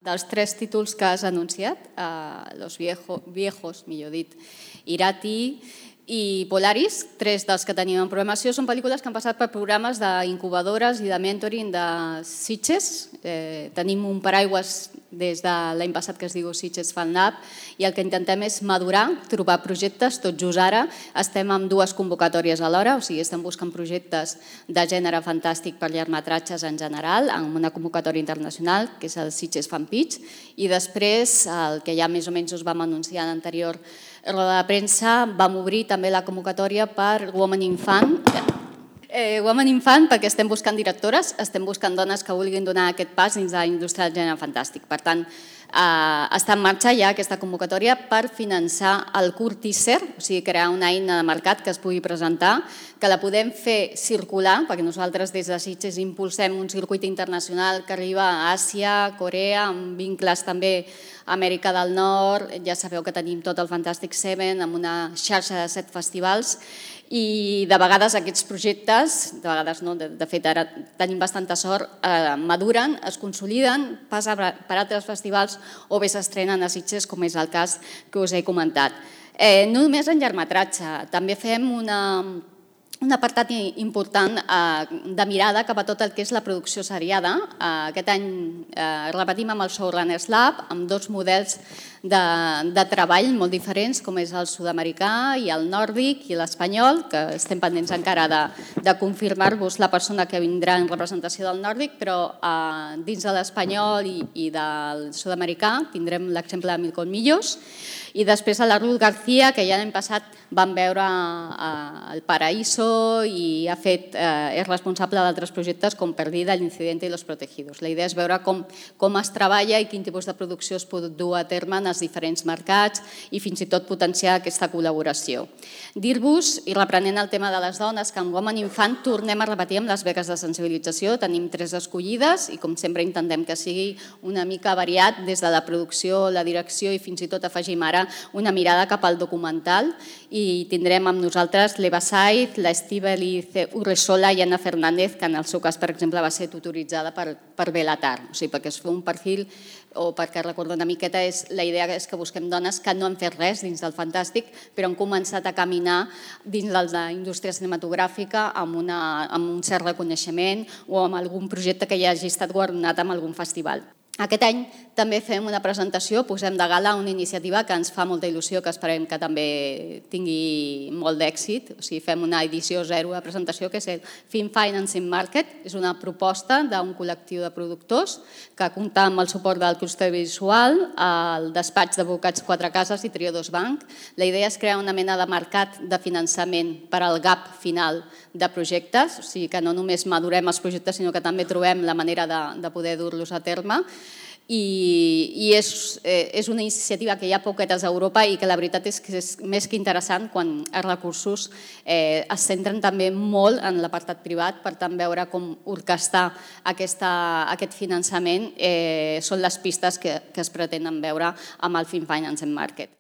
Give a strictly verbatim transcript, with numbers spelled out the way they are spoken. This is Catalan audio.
Dels tres títols que has anunciat, eh, Los viejo, Viejos, millor dit, Irati i Polaris, tres dels que tenim en programació, són pel·lícules que han passat per programes d'incubadores i de mentoring de Sitges. Eh, tenim un paraigües des de l'any passat que es diu Sitges Fan Lab i el que intentem és madurar, trobar projectes. Tot just ara estem amb dues convocatòries alhora, o sigui, estem buscant projectes de gènere fantàstic per llargmetratges en general, amb una convocatòria internacional, que és el Sitges Fan Pitch, i després, el que ja més o menys us vam anunciar en l'anterior roda de premsa, vam obrir també la convocatòria per Women in Fan. Eh, Women in Fan perquè estem buscant directores, estem buscant dones que vulguin donar aquest pas dins de la indústria del gènere fantàstic. Per tant, eh, està en marxa ja aquesta convocatòria per finançar el curt teaser, o sigui, crear una eina de mercat que es pugui presentar, que la podem fer circular, perquè nosaltres des de Sitges impulsem un circuit internacional que arriba a Àsia, Corea, amb vincles també a Amèrica del Nord. Ja sabeu que tenim tot el Fantastic Seven amb una xarxa de set festivals i de vegades aquests projectes, de vegades no, de, de fet ara tenim bastanta sort, eh, maduren, es consoliden, passen per altres festivals o bé s'estrenen a Sitges, com és el cas que us he comentat. Eh, no només en llargmetratge, també fem una... un apartat important de mirada cap a tot el que és la producció seriada. Aquest any repetim amb el Showrunners Lab, amb dos models de, de treball molt diferents, com és el sud-americà i el nòrdic i l'espanyol, que estem pendents encara de, de confirmar-vos la persona que vindrà en representació del nòrdic, però eh, dins de l'espanyol i, i del sud-americà tindrem l'exemple de Mil Colmillos. I després a la Ruth García, que ja l'any passat vam veure el Paraíso i ha fet, eh, és responsable d'altres projectes com Perdida, El Incidente i Los Protegidos. La idea és veure com, com es treballa i quin tipus de producció es pot dur a terme en els diferents mercats i fins i tot potenciar aquesta col·laboració. Dir-vos, i reprenent el tema de les dones, que amb Women in Fan tornem a repetir amb les beques de sensibilització. Tenim tres escollides i com sempre intentem que sigui una mica variat des de la producció, la direcció i fins i tot afegim ara una mirada cap al documental i tindrem amb nosaltres l'Eva Saiz, l'Estíbaliz Urresola i Anna Fernández, que en el seu cas, per exemple, va ser tutoritzada per, per Belatar. O sigui, perquè es fa un perfil o perquè recordo una miqueta, és, la idea és que busquem dones que no han fet res dins del fantàstic, però han començat a caminar dins de la indústria cinematogràfica amb, una, amb un cert reconeixement o amb algun projecte que ja hagi estat guardonat amb algun festival. Aquest any també fem una presentació, posem de gala una iniciativa que ens fa molta il·lusió, que esperem que també tingui molt d'èxit. O sigui, fem una edició zero de presentació, que és el Film Financing Market. És una proposta d'un col·lectiu de productors que compta amb el suport del clúster visual, el despatx d'advocats Quatre Cases i Triodos Bank. La idea és crear una mena de mercat de finançament per al gap final de projectes, o sigui que no només madurem els projectes, sinó que també trobem la manera de, de poder dur-los a terme. I, i és, eh, és una iniciativa que hi ha poquetes a Europa i que la veritat és que és més que interessant quan els recursos eh, es centren també molt en l'apartat privat, per tant veure com orquestar aquesta, aquest finançament eh, són les pistes que, que es pretenen veure amb el Film Financing Market.